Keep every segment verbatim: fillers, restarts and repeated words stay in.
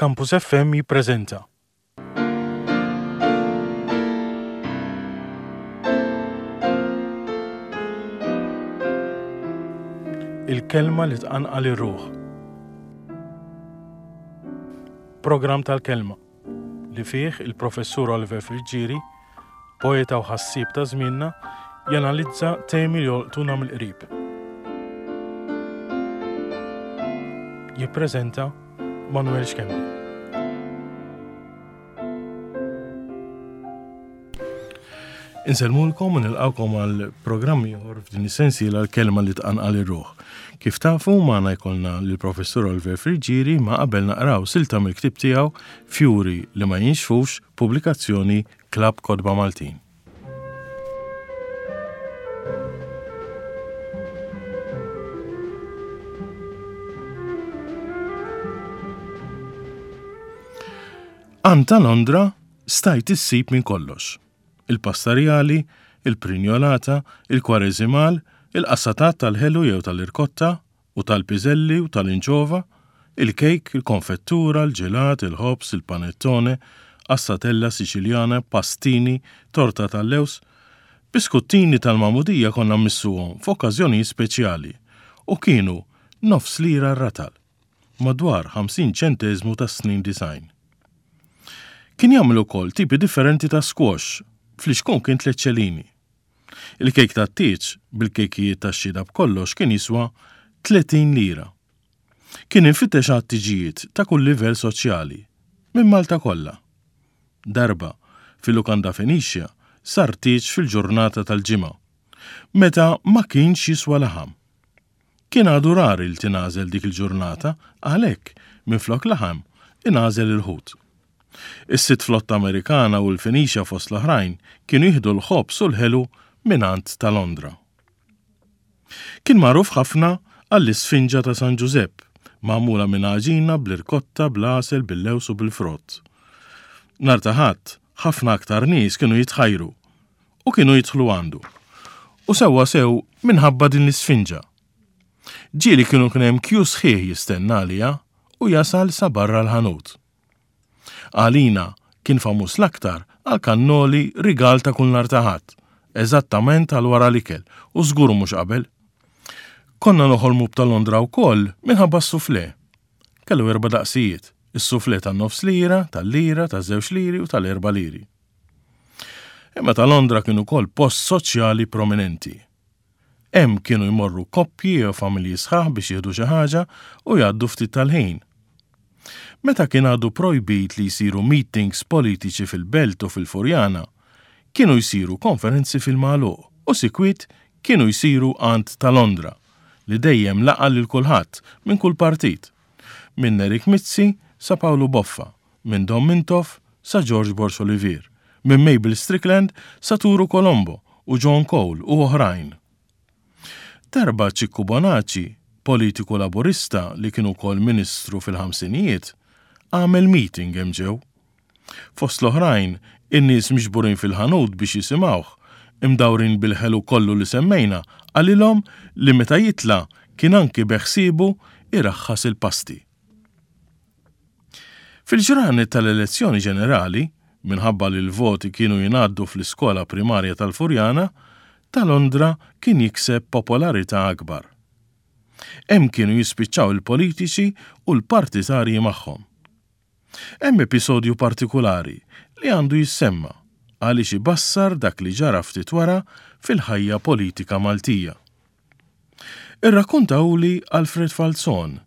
Campus F M jippreżenta Il-kelma li tqanqal ir-ruħ. Programm tal-kelma li fih il-Professur Oliver Friggieri, poeta u ħassieb ta' żmienna, janalizza temi li jolqtuna mill-qrib. Jippreżenta Manuel Schembri. Insellmulkom u nilqawkom għal programm ieħor f'din is-sensiela l-kelma li tqanqal ir-ruħ. Kif tafu, magħna jkollna lill-Professur Oliver Friggieri, ma qabel naqraw silta mill-ktieb tiegħu Fjuri li ma jinxfux, pubblikazzjoni Klabb Kotba Maltin. Għand ta' Londra stajt issib minn kollox. Il-pastarjali, il-prinjolata, il-kwareżimal, il-qassatat tal-ħelu jew tal-irkotta u tal-piżelli u tal-inċova, il-kejk, il-konfettura, il-ġelat, il-ħobż, il-panettone, qassatella Siċiljana, pastini, torta tal-lewż. Biskuttini tal-magħmudija konna mmissuhom f'okkażjonijiet speċjali u kienu nofs lira r-ratal, madwar ħamsin ċenteżmu tas-snin disgħin. Kien jagħmel ukoll tipi differenti ta' squash, flixkun kien tliet ċelini. Il-kejk tat-tieġ bil-kejkijiet tax-xhieda b'kollox kien jiswa tletin lira. Kien infittex għat-tiġijiet ta' kull livell soċjali, minn Malta kollha. Darba, fil-lukanda Fenicia, sar tieġ fil-ġurnata tal-Ġimgħa, meta ma kienx jiswa laħam. Kien għadu rari li tingħażel dik il-ġurnata, għalhekk, minflok laħam, ingħażel il-ħut. Is-sitt flotta Amerikana u l-Fenicia fost l-oħrajn kienu jieħdu l-ħobż u l-ħelu mingħand ta' Londra. Kien magħruf ħafna għall-isfinġa ta' San Ġużepp, magħmula minn għaġina bl-irkotta, bl-għasel, bil-lewż u bil-frott. Nhar ta' Ħadd, ħafna aktar nies kienu jitħajru u kienu jidħlu għandu. U sewwa sew minħabba din l-isfinġa. Ġieli kienu kien hemm kju sħiħ jistenna għaliha u jasal sa barra l-ħanut. Għalina kien famuż l-aktar għal kannoli rigal ta' kull nhar ta' Ħadd, eżattament għal wara l-ikel u żgur mhux qabel. Konna noħolmu b'ta' Londra wkoll minħabba s-suflè. Kellu erba' daqsijiet, is-suflè tan-nofs lira, tal-lira, taż-żewġ liri u tal-erba' liri. Imma ta' Londra kien ukoll post soċjali prominenti. Hemm kienu jmorru koppji jew familji sħaħ biex jieħdu xi ħaġa u jgħaddu ftit tal-ħin. Meta kien għadu projbit li jsiru meetings politiċi fil-Belt u fil-Furjana, kienu jsiru konferenzi fil-magħluq u sikwit kienu jsiru għand ta' Londra, li dejjem laqa' lil kulħadd minn kull partit, minn Nerik Mizzi sa Pawlu Boffa, minn Dom Mintoff sa George Borg Olivier, minn Mabel Strickland sa Turu Colombo u John Cole u oħrajn. Darba Ċikku Bonaci, politiku laburista li kien ukoll ministru fil-ħamsinijiet, għamel meeting hemm ġew. Fost l-oħrajn, in-nies miġburin fil-ħanut biex jisimgħuh, imdawrin bil-ħelu kollu li semmejna, qalilhom li meta jitla' kien anki beħsiebu iraħħas il-pasti. Fil-ġranet tal-elezzjoni ġenerali, minħabba li l-voti kienu jingħaddu fl-iskola primarja tal-Furjana, ta' Londra kien jikseb popolarità akbar. Hemm kienu jispiċċaw il-politiċi u l-partitarji magħhom. Hemm episodju partikulari li għandu jissemma għaliex ibassar dak li ġara ftit wara fil-ħajja politika Maltija. Irrakkuntawli Alfred Falzon,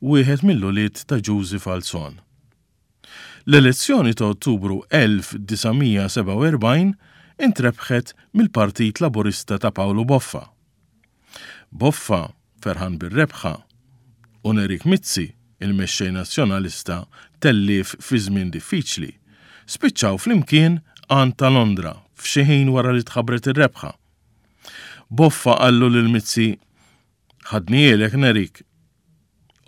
wieħed mill-ulied ta' Ġużi Falzon. L-elezzjoni ta' Ottubru elf disa' mija sebgħa u erbgħin intrebħet mill-Partit Laburista ta' Pawlu Boffa. Boffa ferħan bir-rebħa u Nerik Mizzi, il-mexxej nazzjonalista, tellif fi żmien diffiċli, spiċċaw flimkien għand ta' Londra f'xi ħin wara li tħabbret ir-rebħa. Boffa qallu lil Mizzi, Ħadnielek Nerik.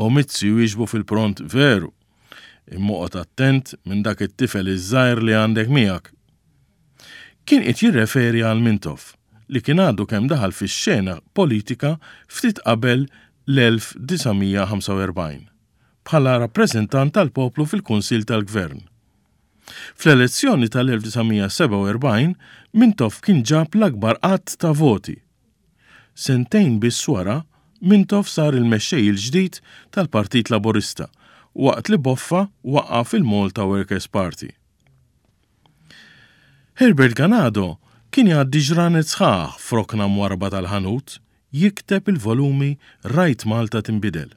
U Mizzi wieġbu fil-pront, Veru, imma oqgħod attent minn dak it-tifel iż-żgħir li għandek miegħek. Kien qed jirreferi għal Mintoff, li kien għadu kemm daħal fix-xena politika ftit qabel l-elf disa' mija ħamsa u erbgħin, bħala rappreżentant tal-poplu fil-Kunsill tal-Gvern. Fl-elezzjoni tal-elf disa' mija sebgħa u erbgħin, Mintoff kien ġab l-akbar għadd ta' voti. Sentejn biss wara, Mintoff sar il-mexxej il-ġdid tal-Partit Laburista waqt li Boffa waqqaf il-Malta Workers' Party. Herbert Ganado kien jgħaddi ġranet sħaħ f'rokna mwarba tal-ħanut jikteb il-volumi Rajt Malta Tinbidel.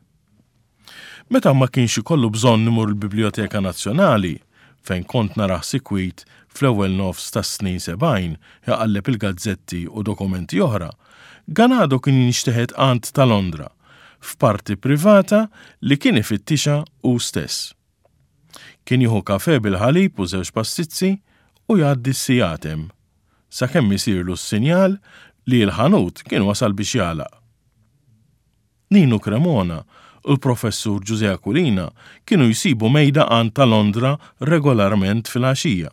Meta ma kienx ikollu bżonn imur il-Biblioteka Nazzjonali, fejn kont narah sikwit fl-ewwel nofs tas-snin sebgħin jaqalleb il-gazzetti u dokumenti oħra, Ganado kien jinxteħet għand ta' Londra, f'parti privata li kien ifittixa hu stess. Kien jieħu kafe bil-ħalib u żewġ pastizzi u jgħaddi s-sigħat hemm, sakemm isirlu s-sinjal li l-ħanut kien wasal biex jagħlaq. Ninu Cremona u l-professur Ġużè Aquilina kienu jsibu mejda għand ta' Londra regolarment fil-għaxija.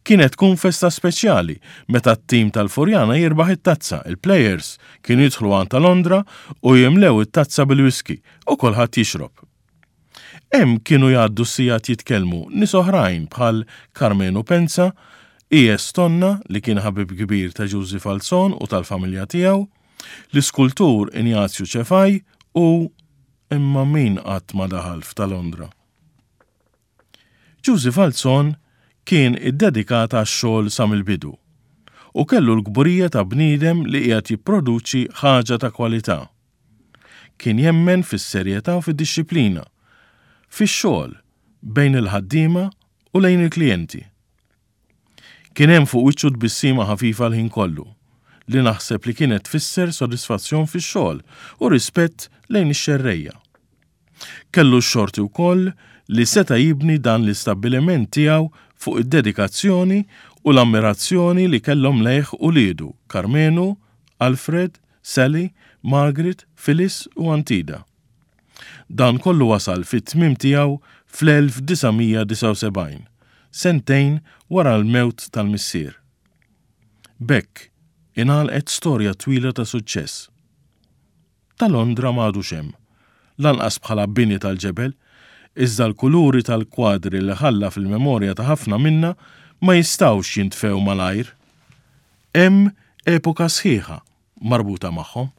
Kienet tkun festa speċjali meta t-tim tal-Furjana jirbaħ it-tazza, il-players kienu jidħlu għand ta' Londra u jimlew it-tazza bil-whisky u kulħadd jixrob. Hemm kienu jgħaddu s-sigħat jitkellmu nies oħrajn bħal Karmenu Penza, I S Tonna li kien ħabib kbir ta' Ġużi Falzon u tal-familja tiegħu, l-iskultur Ignazju Ċefaj u imma min qatt ma daħal f'ta' Londra. Ġużi Falzon kien iddedikat għax-xogħol sa mill-bidu u kellu l-kburija ta' bniedem li qiegħed jipproduċi ħaġa ta' kwalità. Kien jemmen fis-serjetà u fid-dixxiplina, fix-xogħol bejn il-ħaddiema u lejn il-klijenti. Kien hemm fuq wiċċu tbissima ħafifa l-ħin kollu, li naħseb li kienet tfisser sodisfazzjon fix-xogħol u rispett lejn ix-xerrejja. Kellu x-xorti wkoll li seta' jibni dan l-istabbiliment tiegħu fuq id-dedikazzjoni u l-ammirazzjoni li kellhom lejh uliedu Karmenu, Alfred, Sally, Margaret, Phyllis u Antida. Dan kollu wasal fit-tmiem tiegħu fl-elf disa' mija disgħa u sebgħin, sentejn wara l-mewt tal-missier. B'hekk ingħalqet storja twila ta' suċċess. Ta' Londra m'għadux hemm, lanqas bħala bini tal-ġebel, iżda l-kuluri tal-kwadri li ħalla fil-memorja ta' ħafna minna ma jistgħux jintfew malajr. Hemm epoka sħiħa marbuta magħhom.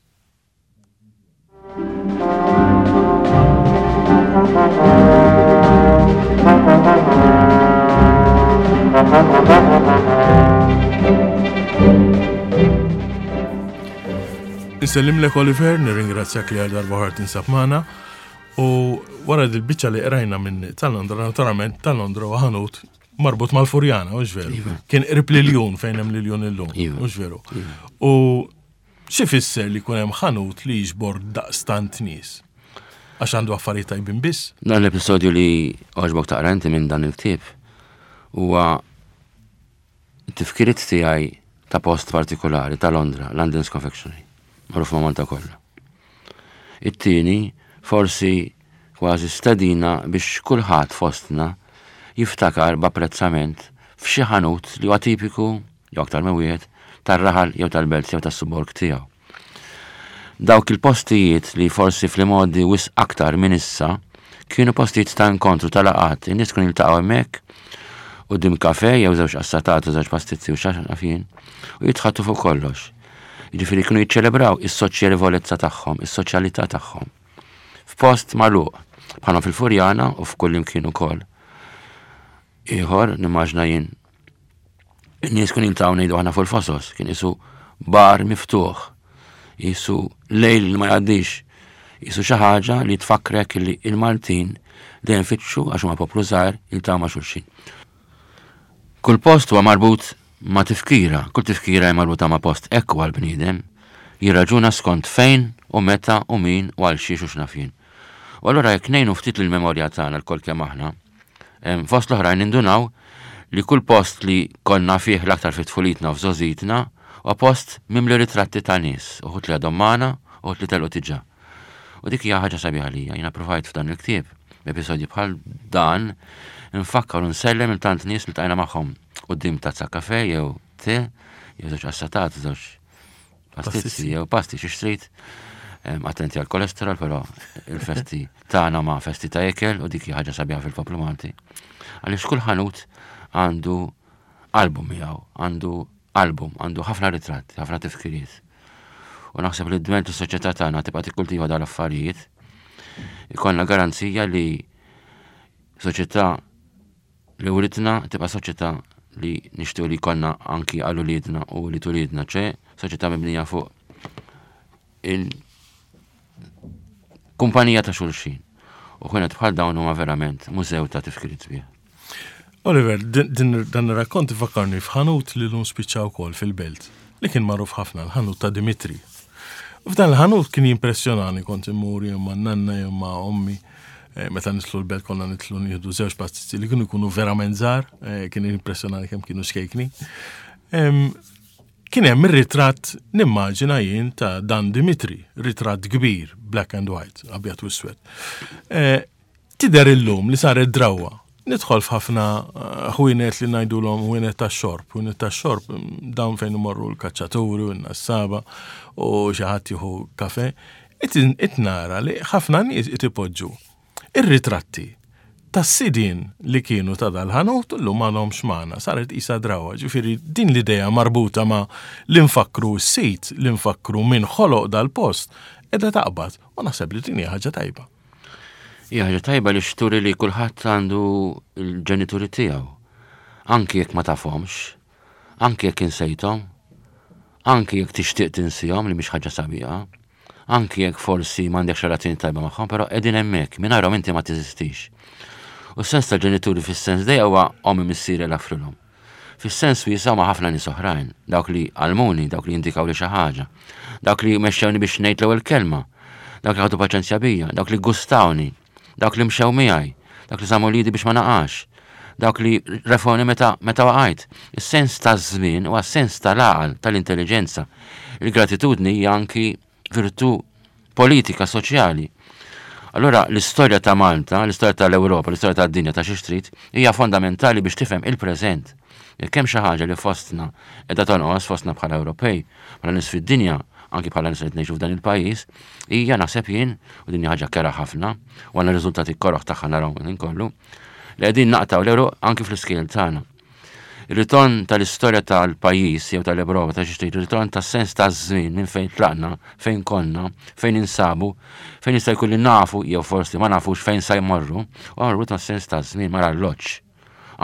Insellimlek Oliver, nirringrazzjak li għal darba oħra tinsab magħna. U wara dil-biċċa li qrajna minn tal-Londra, naturalment tal-Londra u ħanut marbut mal-Furjana, hux veru? Iva. Kien qrib l-Iljun fejn hemm l-Iljun illum, Iva. hux veru? Iva. U xi fisser li jkun hemm ħanut li jiġbor daqstant nies? Għax għandu affarijiet tajbin biss? Dan l-episodju li għoġbok taqra inti minn dan il-ktieb huwa tifkiriet tiegħi ta' post partikolari ta' Londra, London's Confectionery, magħruf ma' Malta kollha. It-tieni forsi kważi stedina biex kulħadd fostna jiftakar b'apprezzament f'xi ħanut li huwa tipiku jew aktar minn wieħed tar-raħal jew tal-belt jew tas-suborg tiegħu. Dawk il-postijiet li forsi fl-modi wisq aktar minn issa kienu postijiet ta' inkontru ta' laqgħat, in-nies kienu jiltaqgħu hemmhekk quddiem kafe jew żewġ qassatat u żewġ pastizzi u xi ħaġa u jitħattu fuq kollox. Jiġifieri kienu jiċċelebraw is-soċjevolezza tagħhom, is-soċjalità tagħhom. F'post magħluq, bħalma fil-Furjana u f'kull imkien ukoll. Ieħor nimmaġna jien in-nies kienu jiltaqgħu ngħidu aħna fuq il-fosos, kien isu bar miftuħ, jisu lejl li ma jgħaddix, jisu xi ħaġa li tfakkrek li il-Maltin dejjem fitxu għax huma poplu żgħir jiltaqgħu ma' xulxin. Kull post huwa marbut ma' tifkira, kull tifkira hija marbuta ma' post, hekk huwa l-bniedem, jirraġuna skont fejn u meta u min u għal xiex u x'naf jien. U allura jekk ngħinu ftit lill-memorja tagħna lkoll kemm aħna, em, fost l-oħrajn nindunaw li kull post li konna fih l-aktar fi tfulitna u f'żgħożitna huwa post mimli ritratti ta' nies, uħud li għadhom magħna, uħud li telqu diġà. U dik hija ħaġa sabiħa lija, jiena provajt f'dan il-ktieb, b'episodji bħal dan, nfakkar u nsellem il tant nies li tajna magħhom quddiem tazza kafe jew te, jew żewġ qassatat, żewġ pastizzi Pastizzi. jew pasti xi xtrid. Attenti għal kolesterol, però il-festi tagħna ma festi ta' ikel u dik ħaġa sabiħa fil-poplu Malti. Għaliex kull ħanut għandu album miegħu, għandu album, għandu ħafna ritratti, ħafna tifkiriet. U naħseb li d-dment is-soċjetà tagħna tibqa' tikkultiva dal-affarijiet, ikollna garanzija li soċjetà li writna tibqa' soċjetà li nixtiequ li jkollna anki għal uliedna u li tulidna, ċe soċjetà mibnija fuq il kumpanija ta' xulxin. U ħwienet bħal dawn huma verament mużew ta' tifkiriet sbieħ. Oliver, din dan ir-rakkont ifakkarni f'ħanut li llum spiċċa wkoll fil-belt, li kien magħruf ħafna, l-ħanut ta' Dimitri. F'dan il-ħanut kien jimpressjonani, kont immur jew ma' nanna jew ma' ommi, eh, meta nidħlu l-belt konna nidħlu nieħdu żewġ pastizzi li kienu jkunu verament żgħar, eh, kien jimpressjonani kemm kienu xkejkni. Kien hemm ir-ritratt, nimmaġina jien, ta' Dan Dimitri, ritratt kbir, black and white, abjad u iswed. Eh, tidher illum li saret drawa. Nidħol f'ħafna ħwienet li ngħidulhom ħwienet tax-xorb, ħwienet tax-xorb dawn fejn imorru l-kaċċaturi u n-nassaba u xi ħadd jieħu kafe. It nara li ħafna nies qed ipoġġu ir-ritratti tas-sidien li kienu ta' dal-ħanut llum m'għadhomx magħna, saret isa drawa. Ġifieri din l-idea marbuta ma' li nfakru s-sit, li nfakru min ħoloq dal-post, qiegħda taqbad u naħseb li din hija ħaġa tajba. Hija ħaġa tajba li xturi li kulħadd għandu l-ġenituri tiegħu. Anki jekk ma tafhomx, anki jekk insejthom, anki jekk tixtieq tinsihom li mhix ħaġa sabiħa, anki jekk forsi m'għandekx relazzjoni tajba magħhom, però qegħdin hemmhekk, mingħajrhom inti ma teżistix. U s-sens tal-ġenituri fis-sens dejja huwa ommi, missieri, l-afrilhom. Fis-sens wiesa' ma' ħafna nies oħrajn, dawk li għallmuni, dawk li indikaw li xi ħaġa, dawk li mexxewni biex ngħid l-ewwel kelma, dawk li ħadu paċenzja bija, dawk li gustawni, dawk li mxew miegħi, dawk li żammu lidi biex ma naqax, dawk li refoni meta meta waqajt. Is-sens taż-żmien huwa sens tal-għaqal, tal-intelligenza. Il-gratitudni hija anki virtù politika, soċjali. Allora l-istorja ta' Malta, l-istorja tal-Ewropa, l-istorja tad-dinja ta' xi trid hija fondamentali biex tifhem il-preżent. Jekk hemm xi ħaġa li fostna qiegħda tonqos, fostna bħala Ewropej, bħala nies fid-dinja, anki bħala nies li ngħixu f'dan il-pajjiż, hija naħseb jien, u din hija ħaġa kera ħafna, u għandna riżultati koroħ tagħha naraw minn kollu, li qegħdin naqtgħu l-għeruq anki fl-iskejjel tagħna. Il-ritorn tal-istorja tal-pajjiż jew tal-Ewropa ta' xi trid, il-ritorn tas-sens taż-żmien minn fejn tlaqna, fejn konna, fejn insabu, fejn jista' jkun li nafu jew forsi ma nafux fejn sa jmorru, u marbut mas-sens taż-żmien mal-arloġġ.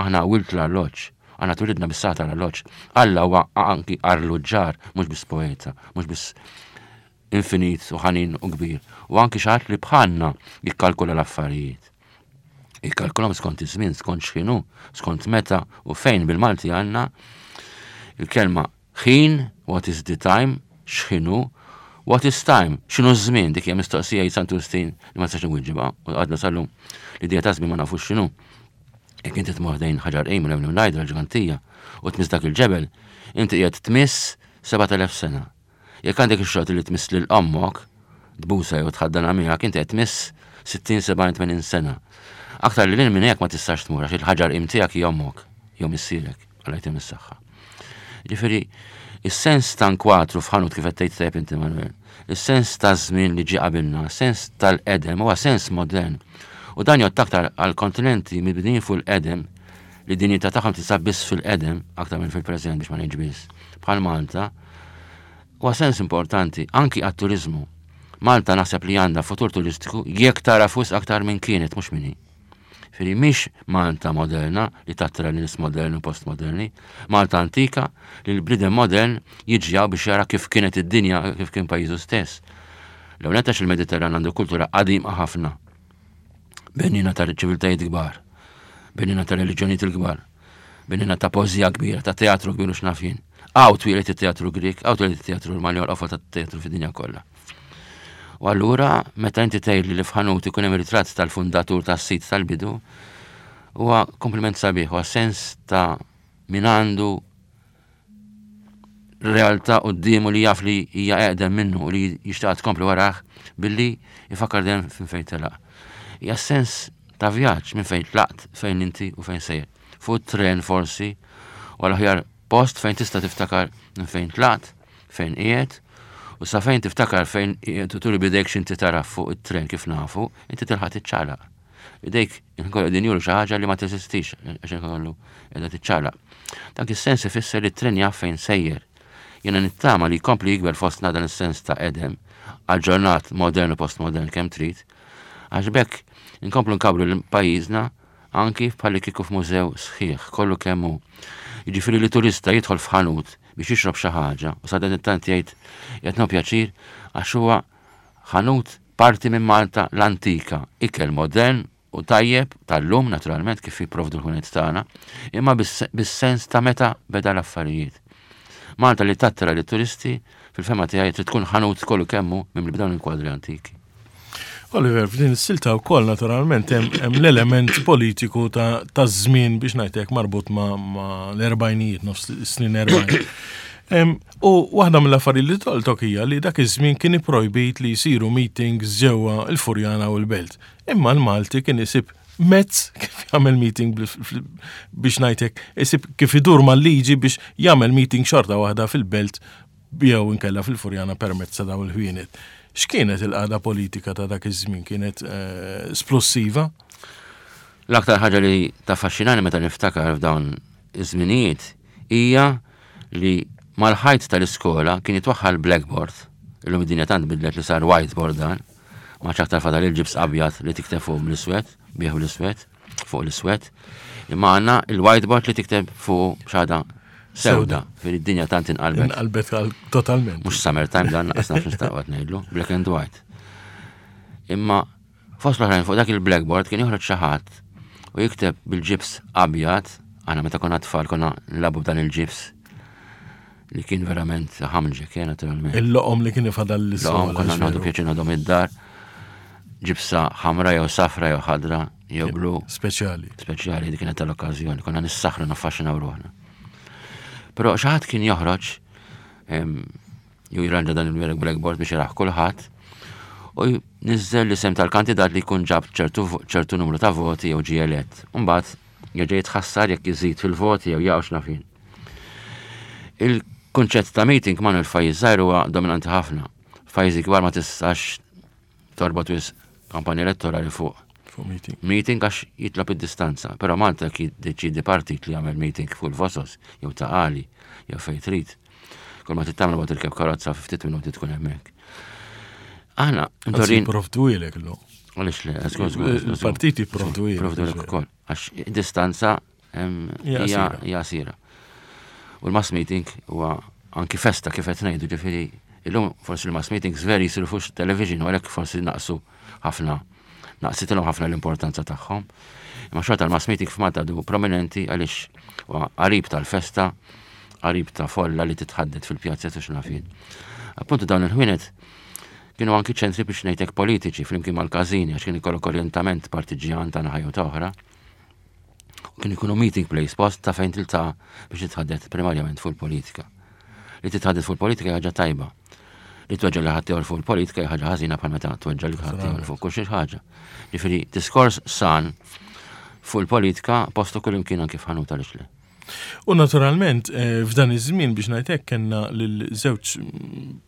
Aħna wilt l-arloġġ, aħna twilidna bis-sagħa tal-arloġġ. Alla huwa anki arloġġar, mhux biss poeta, mhux biss infinit u ħanin u kbir, u anki xi ħadd li bħalna jikkalkula l-affarijiet. Jikkalkulhom skont iż-żmien, skont x'inhu, skont meta u fejn. Bil-Malti għandna il-kelma ħin, what is the time, x'inhu, what is time, x'inhu ż-żmien, dik hija mistoqsija jgħid Santu Wistin li ma tistax inwiġibha, u għadna sal-lum l-idea ta' żmien ma nafux x'inhu. Jekk inti tmur ħdejn Ħaġar Qim u ngħidu l-Ġgantija u tmiss dak il-ġebel, inti qiegħed tmiss sebat elef sena. Jekk għandek ix-xorti li tmiss lil ommok, tbusa jew tħaddana miegħek, inti qed tmiss sittin, sebgħin, tmenin sena. Aktar li lil minn hekk ma tistax tmur għax il-ħaġar qim tiegħek hija ommok jew missierek, Alla jtim is-saħħa. Ġifieri, is-sens ta' nkwatru f'ħanut kif qed tgħid tajjeb inti Manuel, is-sens ta' żmien li ġie qabilna, sens tal-qedem huwa sens modern. U dan jgħod aktar għal kontinenti mibnijin fuq il-qedem li dinjità tagħhom tinsab biss fil-qedem aktar minn fil-preżent biex ma ngħidx biss. Bħal Malta, huwa sens importanti anki għat-turizmu. Malta naħseb li għandha futur turistiku jekk tara fus aktar minn kienet mhux minni. Ġifieri mhix Malta moderna li tattira nies moderni u postmoderni, Malta antika li l-bniedem modern jiġi hawn biex jara kif kienet id-dinja, kif kien pajjiżu stess. L-ewwel nett għax il-Mediterran għandu kultura qadima ħafna. Benina ta' ċiviltajiet kbar, benina ta' reliġjonijiet il-kbar, benina ta' poeżija kbira, ta' teatru kbir u x'naf jien. Hawn twieled it-teatru Grek, hawn twieled it-teatru Ruman, l-qofol tat-teatru fid-dinja kollha. U allura, meta inti tgħidli li f'ħanut ikun hemm ritratt tal-fundatur tas-sit tal-bidu, huwa kompliment sabiħ, huwa sens ta' min għandu realtà quddiemu li jaf li hija eqdem minnu u li jixtaq tkompli warah billi jfakkar dejjem minn fejn telaq. Hija sens ta' vjaġġ minn fejn tlaqt, fejn inti u fejn sejjer. Fuq tren forsi, u l-aħjar post fejn tista' tiftakar minn fejn tlaqt, fejn qiegħed U sa fejn tiftakar fejn turi bidejk x'inti tara fuq it-tren kif nafu, inti tilħaq tiċċaqlaq. Idejk inkollu din juru xi ħaġa li ma teżistix għax inkollu qiegħda tiċċaqlaq. Dak is-sens ifisser li t-tren jaf fejn sejjer. Jiena nittama li jkompli jikber fostna dan is-sens ta' qedem, aġġornat, modern u postmodern kemm trid, għax b'hekk inkomplu nkabbru l-pajjiżna anki bħalli kieku f'mużew sħiħ, kollu kemm hu. Jiġifieri li turista jidħol f'ħanut biex jixrob xi ħaġa u sadanittant jgħid qed nieħu pjaċir għax huwa ħanut parti minn Malta l-antika, ikel modern u tajjeb tal-lum naturalment kif jipprovdu l-ħwienet tagħna, imma bis-sens ta' meta beda l-affarijiet. Malta li tattira li turisti fil-fehma tiegħi trid tkun ħanut kollu kemm hu minn b'dawn il-kwadri antiki. Oliver, f'din is-silta wkoll naturalment hemm l-element politiku ta' żmien biex ngħidlek marbut ma' l-erbgħinijiet, nofs snin erbgħin. U waħda mill-affarijiet li tolqtok hija li dak iż-żmien kien ipprojbit li jsiru meetings ġewwa il-Furjana u l-Belt. Imma l-Malti kien isib mezz kif jagħmel meeting biex ngħidlek, isib kif idur mal-liġi biex jagħmel meeting xorta waħda fil-Belt jew inkella fil-Furjana permezz ta' dawn il-ħwienet. X'kienet il-qagħda politika ta' dak iż-żmien? Kienet eh, splussiva? L-aktar ħaġa li taffaxxinani meta niftakar f'dawn iż-żminijiet hija li mal-ħajt tal-iskola kien jitwaħħal blackboard. Illum id-dinja tant bidlet li sar whiteboard dan. Ma aktar fadal il-ġibs abjad li tikteb fuq bl-iswed, bih bl-iswed, fuq l-iswed. Imma għandna il-whiteboard li tikteb fuq xada sewda, fil-dinja tant inqalbet. Inqalbet totalment. Mhux summertime dan, naqas nafx nistaqgħod ngħidlu, black and white. Imma fost l-oħrajn fuq dak il-blackboard kien joħroġ xi ħadd u jikteb bil-ġibs abjad, aħna meta konna tfal konna nilagħbu b'dan il-ġibs li kien verament ħamġek, eh, naturalment. Il-loqom li kien ifadal l-loqom konna nieħdu pjaċir ngħadhom id-dar, ġibsa ħamra jew safra jew ħadra jew blu. Speċjali. Speċjali dik kienet tal-okkażjoni, konna nissaħru naffaxxinaw ruħna. Però xi ħadd kien joħroġ jew jirranġa dan il-blackboard biex jaraħ kulħadd u niżel l-isem tal-kandidat li jkun ġab ċertu numru ta' voti jew ġie elett. Imbagħad jerġa' jitħassar jekk iżid fil-voti jew jaqgħu x'nafin. Il-kunċett ta' meeting ma' il-pajjiż żgħir huwa dominanti ħafna. F'pajjiżi kbar ma tistax torbot wisq kampanja elettorali fuq Fuq meeting. Meeting għax jitlob id-distanza, però Malta ki deċidi partit li jagħmel meeting fuq il-Fosos jew Ta' Qali jew fejn trid. Kull ma tittamlu ma tirkeb karozza fi ftit minuti tkun hemmhekk. Aħna ntorin jipprovduhielek illum. Għaliex le, żgur żgur. Il-partiti jipprovduhielek. Jipprovduhielek ukoll għax distanza hija qasira. U l-mass meeting huwa anki festa kif qed ngħidu ġifieri illum forsi l-mass meetings veri jsiru fuq television u għalhekk forsi naqsu ħafna naqsitilhom ħafna l-importanza tagħhom. Imma xorta l-mass meeting f'Malta du prominenti għaliex huwa qarib tal-festa, qarib ta' folla li titħaddet fil-pjazza u x'nafin. Appuntu dawn il-ħwienet kienu anki ċentri biex ngħidlek politiċi flimkien mal-każini għax kien ikollok orjentament partiġjan ta' naħa jew ta' oħra. Kien ikunu meeting place, post ta' fejn tiltaqa' biex titħaddet primarjament fuq il-politika. Li titħaddet fuq il-politika hija ħaġa tajba. Li tweġġa' li ħaddieħor fuq il-politika hija ħaġa ħażina bħal meta tweġġa' li ħaddieħor fuq kull xi ħaġa. Ġifieri diskors san fuq il-politika postu kull imkien anki f'ħanut għaliex le. U naturalment, eh, f'dan iż-żmien biex ngħidlek kellna lil żewġ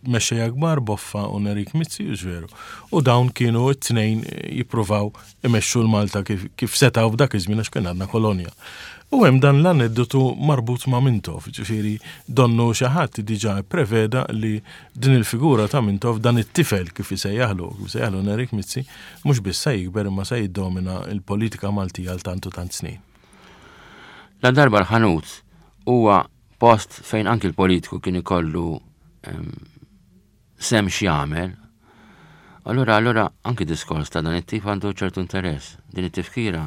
mexxejja kbar Boffa u Nerik Mizzi, veru. U dawn kienu t-tnejn jippruvaw imexxu l-Malta kif, kif setgħu f'dak iż-żmien għax kien għadna kolonja. U hemm dan l-aneddotu marbut ma' Mintoff, ġifieri donnu xi ħadd diġà preveda li din il-figura ta' Mintoff dan it-tifel kif isejjaħlu, kif isejjaħlu Nerik Mizzi, mhux biss se jikber imma se jiddomina l-politika Maltija għal tant u tant snin. La darba l-ħanut huwa post fejn anki l-politiku kien ikollu sem x'jagħmel. Allura, allura anki diskors ta' dan it-tip għandu ċertu interess. Din it-tifkira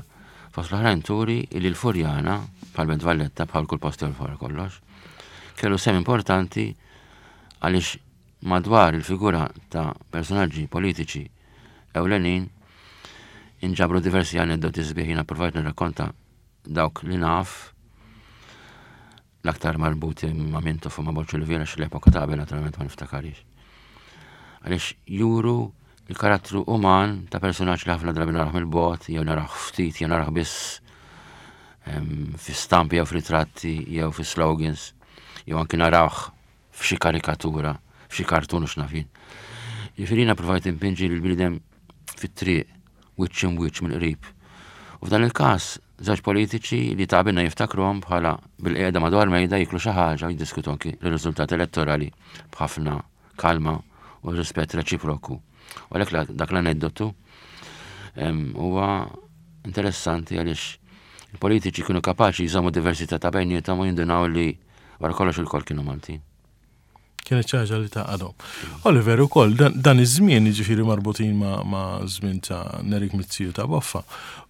fost l-oħrajn turi li l-Furjana, bħal Belt Valletta, bħal kull post ieħor kollox, kellu sem importanti għaliex madwar il-figura ta' personaġġi politiċi ewlenin inġabru diversi aneddoti sbieħ. Jiena provajt nirrakkonta dawk li naf l-aktar marbuti ma' Mintoff u ma' Borg Olivier għax l-epoka ta' qabel naturalment ma niftakarix. Għaliex juru il-karattru uman ta' personaġġ li ħafna drabi narah mill-bogħod, jew narah ftit, jew narah biss fi stampi jew f'ritratti jew fi slogans, jew anki narawh f'xi karikatura, f'xi kartun u x'naf jien. Jiġifieri jiena provajt inpinġi l-bniedem fit-triq, wiċċ imwiċċ mill-qrib. U f'dan il-każ, żewġ politiċi li ta' qabilna jiftakruhom bħala bil-qiegħda madwar mejda jiklu xi ħaġa u jiddiskutu anki r-riżultat elettorali b'ħafna kalma u rispett reċiproku. U għalhekk dak l-aneddotu huwa interessanti għaliex il-politiċi kienu kapaċi jżommu diversità ta' bejniethom u jindunaw li wara kollox il-kol kienu Maltin. Kienet ħaġa li tgħaqqadhom. Oliver, ukoll, dan, dan iż-żmien, jiġifieri marbutin ma', ma' żmien ta' Nerik Mizzi u ta' Boffa,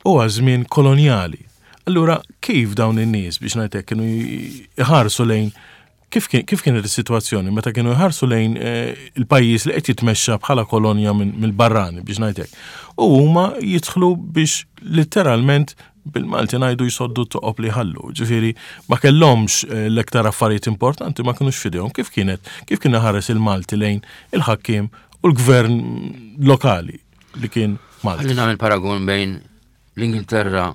huwa żmien kolonjali. Allura, kif dawn in-nies biex ngħidlek kienu jħarsu lejn kif kien kif kienet is-sitwazzjoni meta kienu jħarsu lejn eh, il-pajjiż li qed jitmexxa bħala kolonja mill-barrani biex ngħidlek. U huma jidħlu biex letteralment bil-Malti ngħidu jsoddu toqob li ħallu. Ġifieri ma kellhomx eh, l-iktar affarijiet importanti ma kinux f'idejhom. Kif kienet? Kif kien ħares il-Malti lejn il-ħakkiem u l-gvern lokali li kien Malti? Ħalli nagħmel paragun bejn l-Ingilterra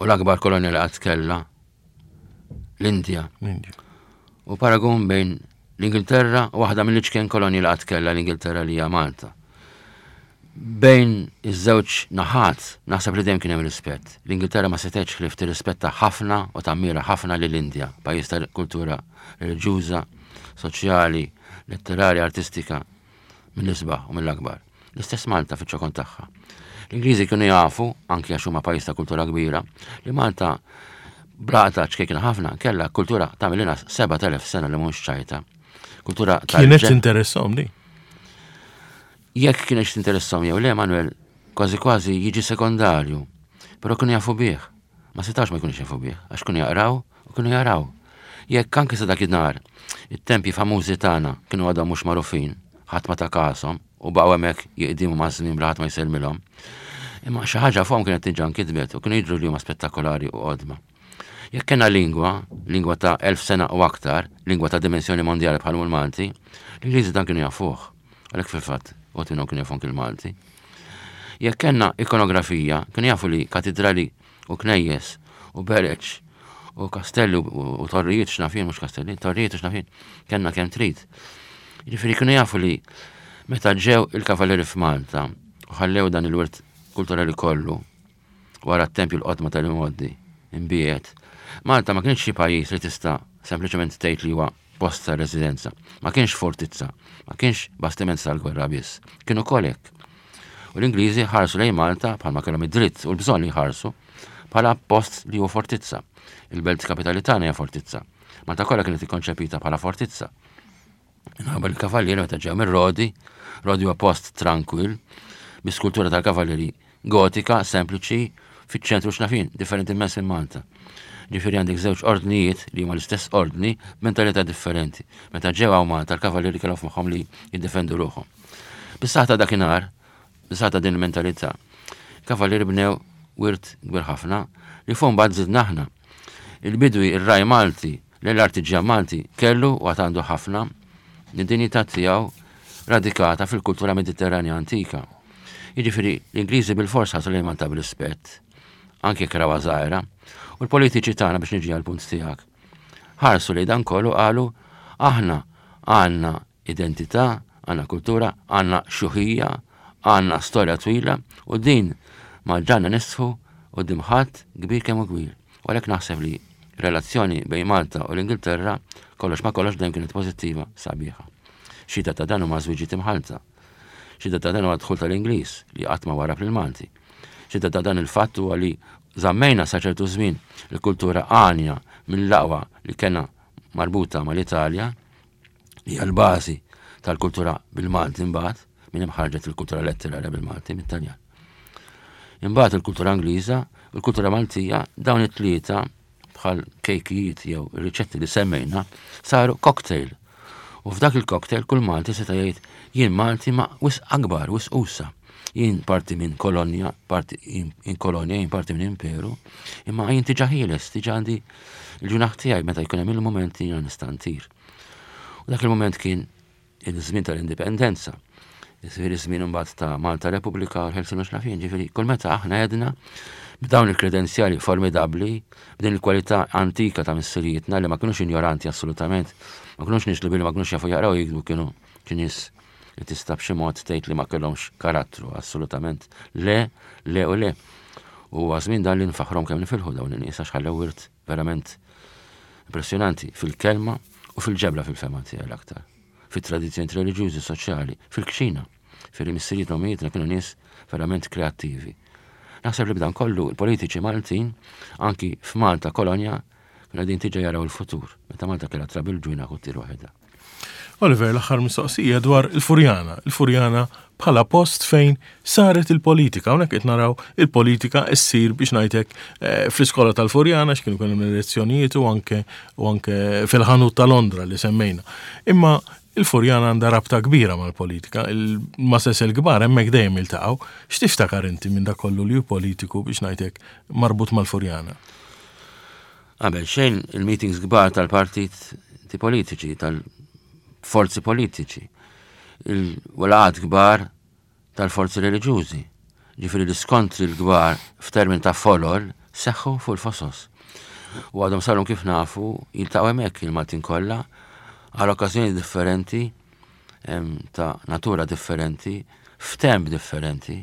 u l-akbar kolonja li qatt kellha, l-Indja. L-Indja. U paragun bejn l-Ingilterra u waħda mill-iċken kolonji li qatt kellha l-Ingilterra li hija Malta. Bejn iż-żewġ naħat naħseb li dejjem kien hemm rispett. L-Ingilterra ma setgħetx ħlief tirrispetta ħafna u tammira ħafna lill-Indja, pajjiż ta' kultura reliġjuża, soċjali, letterarja, artistika mill-isbaħ u mill-akbar. L-istess Malta fiċ-ċokon tagħha. L-Ingliżi kienu jafu, anki għax huma pajjiż ta' kultura kbira, li Malta blata ċkejkna ħafna kellha kultura ta' mill-inqas sebat elef sena li mhux ċajta. Kultura ta' Kienet tinteressahom di? Jekk kienet tinteressahom jew le, Manuel, kważi kważi jiġi sekondarju. Però kienu jafu bih. Ma setax ma jkunux jafu bih, għax kienu jaqraw u kienu jaraw. Jekk anke sa dakinhar it-tempji famużi tagħna kienu għadhom mhux magħrufin, ħadd ma ta' kashom u baqgħu hemmhekk jiqdimu maż-żmien bla ħadd ma jsellmilhom. Imma xi ħaġa fuqhom kienet diġà nkitbet u kienu jidhru li huma spettakolari u qodma. Jekk kellna lingwa, lingwa ta' elf sena u aktar, lingwa ta' dimensjoni mondjali bħal l-Malti, l-Ingliżi dan kienu jafuh. Għalhekk fil-fatt, u minnhom kienu jafu anki l-Malti. Jekk kellna ikonografija, kienu jafu li katedrali u knejjes u bereċ u kastelli u torrijiet x'naf jien, mhux kastelli, torrijiet u x'naf jien, kellna kemm trid. Jiġifieri kienu jafu li meta ġew il-kavaleri f'Malta u ħallew dan il-wirt kulturali kollu wara t-tempju l-qodma tal-imgħoddi imbiet, Malta ma kienx xi pajjiż li tista' sempliċement tgħid li huwa post ta' residenza. Ma kienx fortizza, ma kienx bastiment tal-gwerra biss. Kienu kolek. U l-Ingliżi ħarsu lejn Malta bħalma kellhom id-dritt u l-bżonn li jħarsu bħala post li huwa fortizza. Il-belt kapitali tagħna hija fortizza. Malta kollha kienet ikkonċepita bħala fortizza. Minħabba l-kavallieri meta ġew mir-Rodi, Rodi huwa post tranquil, bi skultura tal-kavallieri gotika, sempliċi, fiċ-ċentru x'naf jien, differenti immens minn Malta. Ġifieri għandek żewġ ordnijiet li huma l-istess ordni b'mentalità differenti. Meta ġew hawn Malta l-kavallieri kellhom f'moħħhom li jiddefendu ruħhom. Bis-saħħa ta' dakinhar, bis-saħħa ta' din il-mentalità, kavallieri bnew wirt kbir ħafna li fuq mbagħad żidna aħna. Il-bidwi ir-raj Malti, l-artiġjan Malti kellu u għad għandu ħafna id-dinjità tiegħu radikata fil-kultura mediterranja antika. Jiġifieri l-Ingliżi bil-fors ħarsu lejn Malta b'rispett, anke jekk rawha żgħira, u l-politiċi tagħna biex niġi għall-punt tiegħek. Ħarsu li dan kollu qalu aħna għandna identità, għandna kultura, għandna xjuħija, għandna storja twila u din ma ġanna nistħu u dimħat kbir kemm hu kbir. U għalhekk naħseb li relazzjoni bejn Malta u l-Ingilterra kollox ma kollox dejjem kienet pożittiva sabiħa. Xhieda ta' dan huma żwiġiet imħallta. Xhieda ta' dan huwa dħul tal-Ingliż li qatt ma warab lill-Malti. Xhieda ta' dan il-fatt huwa li żammejna sa ċertu żmien il-kultura għanja mill-aqwa li kellna marbuta mal-Italja, li hija l-bażi tal-kultura bil-Malti imbagħad, minn hemm ħarġet il-kultura letterarja bil-Malti mit-Taljan. Imbagħad il-kultura Ingliża, il-kultura Maltija, dawn it-tlieta bħal kejkijiet jew riċetti li semmejna saru cocktail. U f'dak il-cocktail kull Malti seta' jgħid jien Malti ma wisq akbar, wisq usa. Jien parti minn kolonja, parti in kolonja, jien parti minn imperu, imma jien diġà ħieles, diġà għandi il-ġunaħ tiegħi meta jkun hemm il-mument jiena nista' ntir. U dak il-mument kien il-żmien tal-indipendenza. Ġifieri żmien imbagħad ta' Malta Repubblika u l-Ħelsien u x'naf jien, ġifieri kull meta aħna għedna b'dawn il-kredenzjali formidabbli, b'din il-kwalità antika ta' missirijietna li ma kinux ignoranti assolutament, ma kinux nies li billi ma kinux jafu jaqraw jiktbu kienu Xi nies li tista' b'xi mod tgħid li ma kellhomx karattru, assolutament le, le u le. U għażmin dan li nfaħrom kemm nifilħu dawn in-nies għax ħallew wirt verament impressjonanti fil-kelma u fil-ġebla fil-fema tiegħi l-aktar. Fit-tradizzjoni reliġjużi, soċjali, fil-kċina. Fil-missirijiet u ommijietna kienu nies verament kreattivi. Naħseb li b'dan kollu il-politiċi Maltin, anki f'Malta kolonja, kienu qegħdin tiġa jaraw il-futur. Meta Malta kellha trabil ġwina u ttir waħedha. Oliver, l-aħħar mistoqsija dwar il-Furjana. Il-Furjana bħala post fejn saret il-politika. Hawnhekk qed naraw il-politika ssir biex ngħidlek eh, fl-iskola tal-Furjana x'kienu kienu l-elezzjonijiet u anke u anke fil-ħanut ta' Londra li semmejna. Imma il-Furjana għandha rabta kbira mal-politika, il-masses il-kbar hemmhekk dejjem iltaqgħu. X'tiftakar inti minn dak kollu li hu politiku biex ngħidlek marbut mal-Furjana? Qabel xejn il-meetings kbar tal-partiti politiċi, tal-forzi politiċi, il-laqgħat kbar tal-forzi reliġjużi. Ġifieri l-iskontri l-kbar f'termin ta' folol seħħu fuq il-fosos. U għadhom saru kif nafu jiltaqgħu hemmhekk il-Maltin kollha għal okkażjoni differenti, em, ta' natura differenti, f'temp differenti,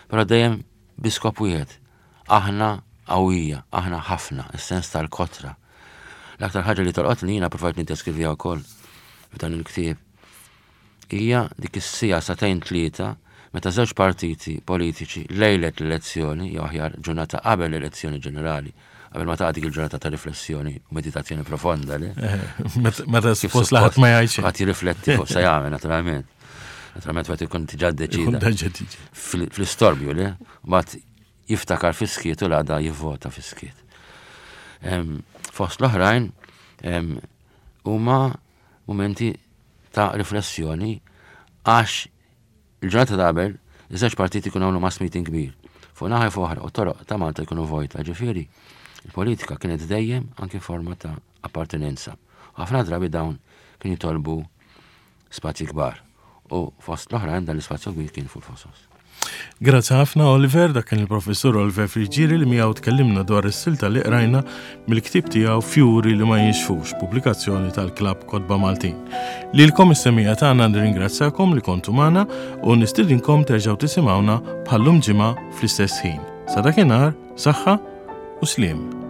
però dejjem bi skop wieħed. Aħna qawwija, aħna ħafna, is-sens tal-kotra. L-aktar ħaġa li tolqot li jiena provajt niddeskriviha wkoll f'dan il-ktieb hija dik is-siegħa sagħtejn tlieta meta żewġ partiti politiċi lejlet l-elezzjoni, jew aħjar ġurnata qabel l-elezzjoni ġenerali, qabel ma taqa' dik il-ġurnata ta' riflessjoni u meditazzjoni profonda, li? Meta suppost laħat ma jgħidx. Ħadd jirrifletti fuq se jagħmel naturalment. Naturalment wieħed ikun diġà ddeċida. Fl-istorbju li, mbagħad jiftakar fis-skiet u l-għada jivvota fis-skiet. Fost l-oħrajn huma momenti ta' riflessjoni għax il-ġurnata ta' qabel iż-żewġ partiti jkunu għamlu mass meeting kbir. Fuq naħa fuq oħra u toroq ta' Malta jkunu vojta, ġifieri il-politika kienet dejjem anke forma ta' appartenenza. Ħafna drabi dawn kien jitolbu spazji kbar u fost l-oħrajn dan l-ispazju kbir kien fuq il-fosos. Grazzi ħafna Oliver, dak kien il-professur Oliver Friggieri li miegħu tkellimna dwar is-silta li qrajna mill-ktieb tiegħu Fjuri li ma jinxfux, pubblikazzjoni tal-Klabb Kotba Maltin. Lilkom is-semmiegħa tagħna nirringrazzjakom li kontu magħna u nistidinkom terġgħu tisimgħuna bħallum ġimgħa fl-istess ħin. Sa dakinhar, saħħa u sliem.